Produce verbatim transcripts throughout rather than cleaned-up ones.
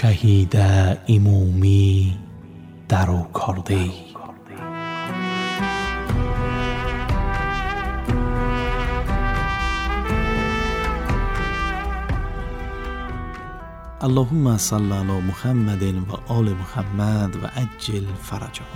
شهید امامی درو کرده. اللهم صل علی محمد و آل محمد و عجل فرجهم.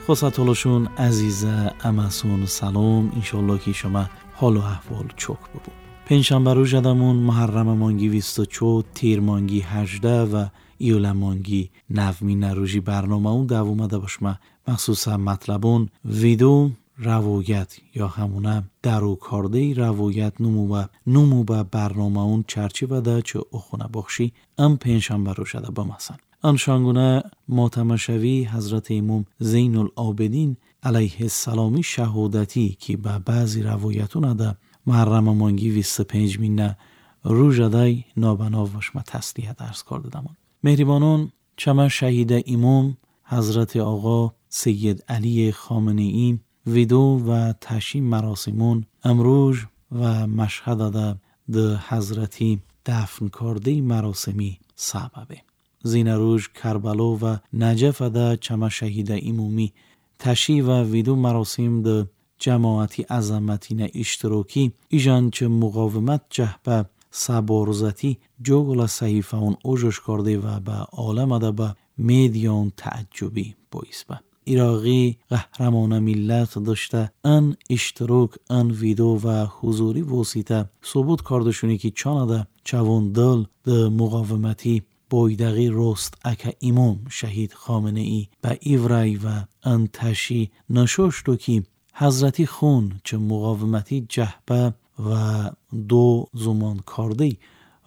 خواستالشون عزیزه امسون سلام، انشالله که شما حال و احوال چوک ببو. پنجشنبه روز ادمون محرم مانگی بیست و چهار، تیر مانگی هجده و ایول مانگی نومی نروژی برنامه اون دوم ده باشما مخصوصا مطلبون ویدو روایت یا همونه درو کرده روایت نمو و نمو به برنامه اون چرچی و ده چه اخونه بخشی ام پنجشنبه روز ده بمسن. آن شانگونه ماتمشوی حضرت امام زین العابدین علیه السلامی شهادتی که به بعضی روایتون ده محرم مانگی بیست و پنج مینه روز دای نابناو باشما تسلیت عرض کرده دمون. مهربانون چما شهید امام حضرت آقا سید علی خامنه ای ویدو و تشییع مراسمون امروز و مشهد ده ده حضرتی دفن کرده مراسمی سببه. زین روز کربلا و نجف ده چما شهید امامی تشییع و ویدو مراسم ده جماعتی عظمتی نه اشتراکی ایجان چه مقاومت جهبه سبارزتی جوگل صحیفه اون اوجش کرده و به عالم ده به میدیان تعجبی باعث به. ایراقی قهرمان ملت داشته ان اشتراک ان ویدو و حضوری واسطه ثبوت کردشونی که چانده چوان دل ده مقاومتی بایدقی راست اکه امام شهید خامنه ای به ایورای و ان تشی نشاشتو که حضرتی خون چه مقاومتی جهبه و دو زمان کرده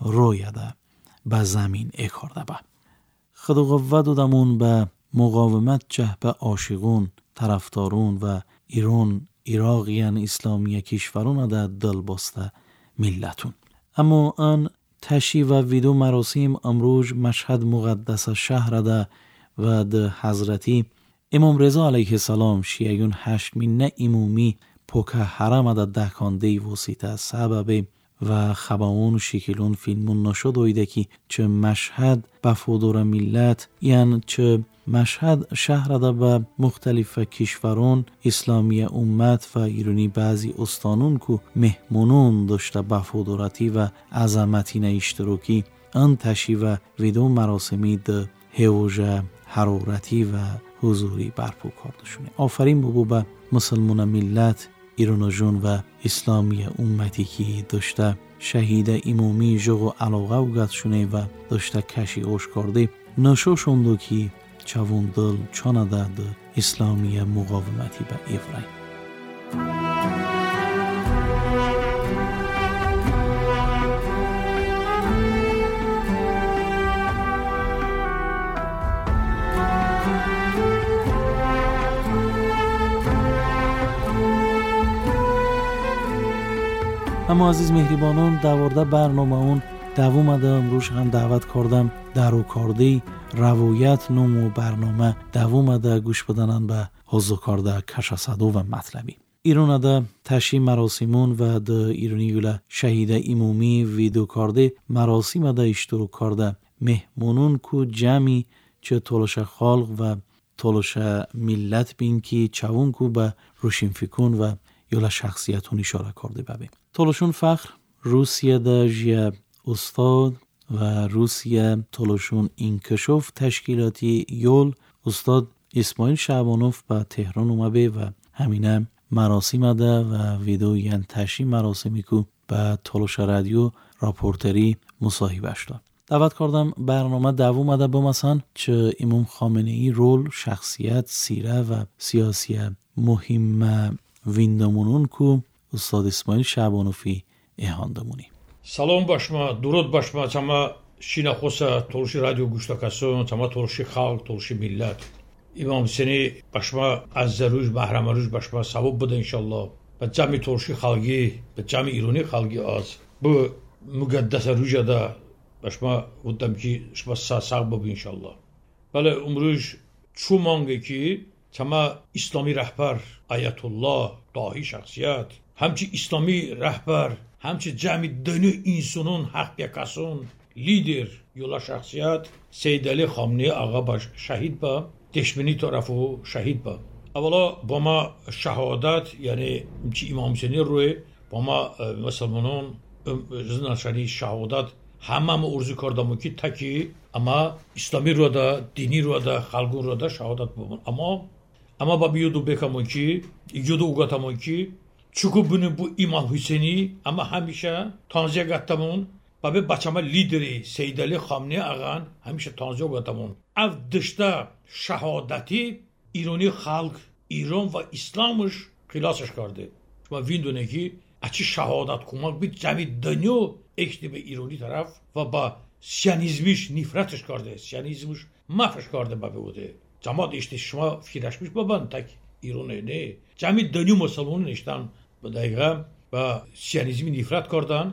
رویده به زمین اکارده به. خدا قوت دادمون به مقاومت جهبه عاشقون طرفدارون و ایران ایراقیان اسلامی کشورون ده دل بسته ملتون. اما آن تشییع و ویدو مراسم امروز مشهد مقدس شهر ده و ده حضرتی امام رضا علیه السلام شیعیون هشت مینه امامی پوکه حرم ده دکانده واسطه سبب و خباون شکلون فیلمون نشد اویده که چه مشهد بفودور ملت یعنی چه مشهد شهر ده به مختلف کشورون اسلامی امت و ایرانی بعضی استانون که مهمونون داشته بفودورتی و عظمتی نه اشتراکی آن تشییع و ویدو مراسمی ده هوژه حرارتی و حضوری برپا کردشونه. آفرین بابو به مسلمان ملت ایران جون و اسلامی امتی که داشته شهید امامی جغ و علاقه و گتشونه و داشته کشی اوش کرده نشوشوندو که چوون دل چانه ده اسلامی مقاومتی به ایورای. اما عزیز مهربانان دوارده برنامه اون دوام ده امروز هم دعوت کردم درو کرده روایت نوم و برنامه دوام ده گوش بدنن به حضور کرده کشاسدو و مطلبی. ایران ده تشییع مراسمون و ده ایرانی یوله شهید امامی ویدو کرده مراسم ده اشتراک کرده مهمونون کو جمعی چه تولش خالق و تولش ملت بین که چوون کو به روشن فکون و یوله شخصیتون اشاره کرده ببین. تولشون فخر روسیه ده جیه استاد و روسیه تولشون انکشاف تشکیلاتی یول استاد اسماعیل شعبانوف به تهران اومده و همینه مراسم ده و ویدیو ین تشییع مراسمی کو به تولش رادیو راپورتری مصاحبهش داد. دعوت کردم برنامه دوم ده بمسن چه امام خامنه ای رول شخصیت سیره و سیاسی مهم ویندمونون کو استاد اسماعیل شعبانوفی اهاندمونی. سلام باشما، درود باشما، چما شیناخوسا تولشی رادیو گوشتاکاسون، چما تولشی خالق، تولشی ملت. امام حسینی باشما از روز محرم روز باشما ثواب بده انشالله. به جمع تولشی خالقی، به جمع ایرانی خالقی از. bu مقدس روزا da باشما ودم که شما ساق بب انشالله. بله امروز چو مانگه که چما اسلامی رهبر آیت الله داهی شخصیت همچی اسلامی رهبر همچی جمع دنیا انسانون حق بیکاسون لیدر yola şəxsiyyət Seyid Əli Xamneyi ağa baş şəhid ba deşmini tərəfi şəhid ba. Əvvəla با ما şəhadət, yəni ki İmam Hüseyni روی با ما مسلمانان زناشانی şəhadət همه ارزو کردم که تکی اما اسلامی رو دا دینی رو دا خلقون رو دا شهادت بمون. اما اما با بیودو بکمون ki یودو uqatamon ki çünkü bunu bu İmam Hüseyni ama həmişə tanziyə qattamon babe bachama lideri Seyid Əli Xamneyi ağan həmişə tanziyə qattamon. Av dışda şəhadəti İrani xalq İran və İslamış xilasış kardı. Şuma vindونه ki açı şəhadət kumak bir cəmi dönüyor ekti به ایرانی طرف و با سیانیزمش نفرتش کرده، سیانیزمش مفش کرده با بوده. جماعت اشتی شما فکرش میش بابان تک ایرانه نه. جمعی دنیا مسلمان نشتن به دقیقه با سیانیزمی نفرت کردن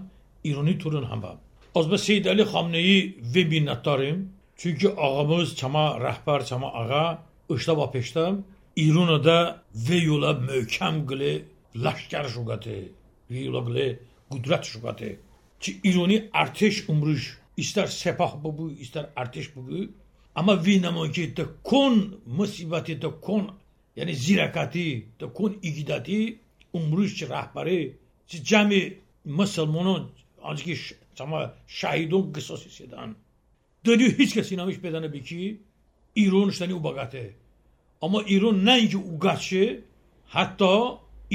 ایرانی تورن هم با. از به سید علی خامنه ای و minnettarım. Çünkü ağamız çama rəhbər çama ağa ışta va peştem İran'a da ve yola möhkəm qılı laşkər şuqatı, ve yola qılı qudrət şuqatı. Ki İrani ارتش امروز ister sepah bu ister ارتش bu ama vinamon ki de kon musibeti de kon yani zirakati de kon igidati امروز ki rəhbəri ki cəmi müsəlmanın ancaq ki ama şahidun qisas edən dönüyor heç kəs inanmış bedənə bi ki İran iştəni ubaqatı ama İran nəinki uqatşı hətta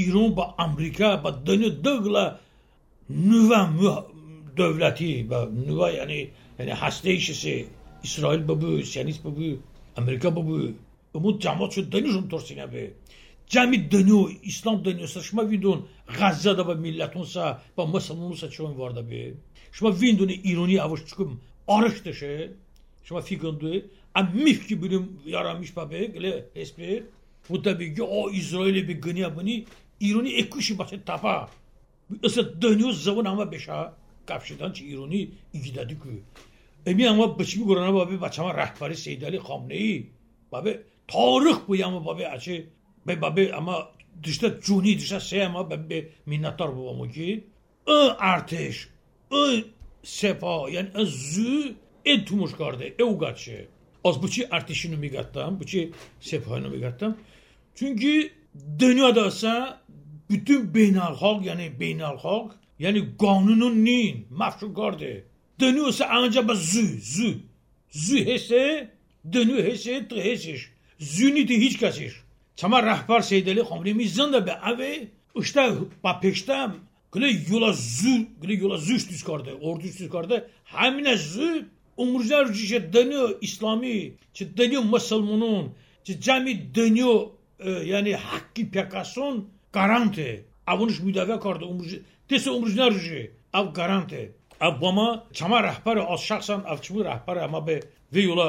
İran ba Amerika ba dönüyor dığla nüvə dövləti və nüvə yəni yəni hastə işisi İsrail bu, Siyonist bu, Amerika bu. Umud cəmaət şu dönüşüm torsinə be. Cəmi dönüyor, İslam dönüyorsa şuma vindun Qəzzədə və millətunsa və müsəlmanunsa çoğun var da be. Şuma vindun İrani avuç çıxım arış dışı. Şuma fiqındı. Am mif ki bilim yaranmış be gələ hesbi. Bu tabii ki o İsraili bir qınıya bunu İrani ekuşi başı tapa. Mesela dönüyor zaman ama beşa kapşidan ki İrani igidədi ki. Emi ama biçimi görənə babi bachama rəhbəri Seyid Əli Xamneyi babi tarix bu ama babi açı be babi ama dışda cuni dışda şey ama babi minnətdar babam ki ı arteş ı sepa yani ı zü e tumuş kardı e uqatşı. Az bu ki arteşini miqatdan bu ki sepahını miqatdan. Çünkü dünyadasa bütün beynəlxalq, yəni beynəlxalq, yəni qanunun nin məfşur qardı. Dönüyorsa ancaq zü, zü, zü hesse, dönüyor hesse, tı hessiş. Züni de heç kəsiş. Çama rəhbər Seyid Əli Xamneyi mizan da be ave, işte ba peştəm, qılı yola zü, qılı yola zü düz qardı, ordu düz qardı. Həminə zü, umurlar ki dönüyor İslami, ki dönüyor müsəlmanın, ki cəmi dönüyor, yəni haqqi pəkason garantı. Avunş müdafə kardı umruj dese umrujlar ruji av garantı. Av bama çama rəhbəri az şəxsən av çımı rəhbəri amma be ve yola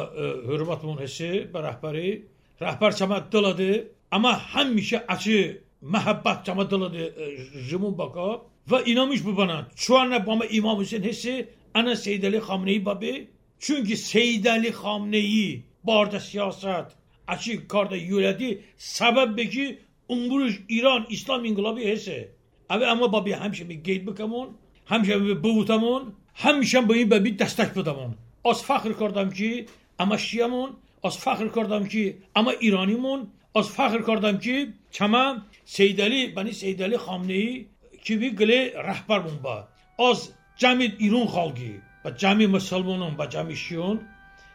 hörmət bunun hissi be rəhbəri. Rəhbər çama dıladı amma həmişə açı məhəbbət çama dıladı jimun baka və inanmış bu bana. Çoğanla bama İmam Hüseyin hissi ana Seyid Əli Xamneyi babi. Çünki Seyid Əli Xamneyi barda siyasət açı karda yölədi səbəb be ki امروز ایران اسلام انقلابی هسته. اوه اما بابی همیشه به گید بکمون، همیشه به بوتمون، همیشه به این بابی دستک بدمون. از فخر کردم که اما شیعمون، از فخر کردم که اما ایرانیمون، از فخر کردم که چما سید علی بنی سید علی خامنه ای که بی گله رهبر بون با. از جمع ایران خالقی و جمع مسلمانون و جمع شیعون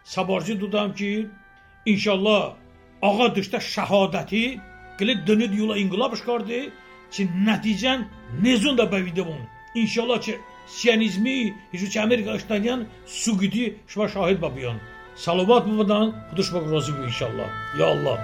سبارجی دودم که انشالله آقا داشته شهادتی گله دنیا yola inqilab çıkardı ki nəticən nezun da bəvidə bunu. İnşallah ki Siyonizmi, heç ki Amerika işləyən suqidi şuma şahid babiyan. Salavat babadan Xuda razı bu inşallah. Ya Allah.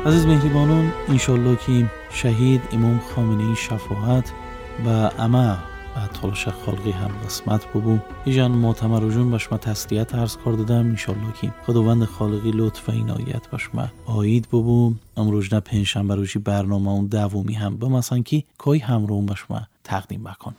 عزیز مهربانان، انشالله که شهید امام خامنه ای شفاعت و اما و تولش خالقی هم قسمت ببو. ایجان معتمر جون با شما تسلیت عرض کار دادم، انشالله که خداوند خالقی لطف و عنایت با شما آید ببو. امروز نه پنجشنبه روزی برنامه اون دومی هم به مثلا که کی همراه با شما تقدیم بکن.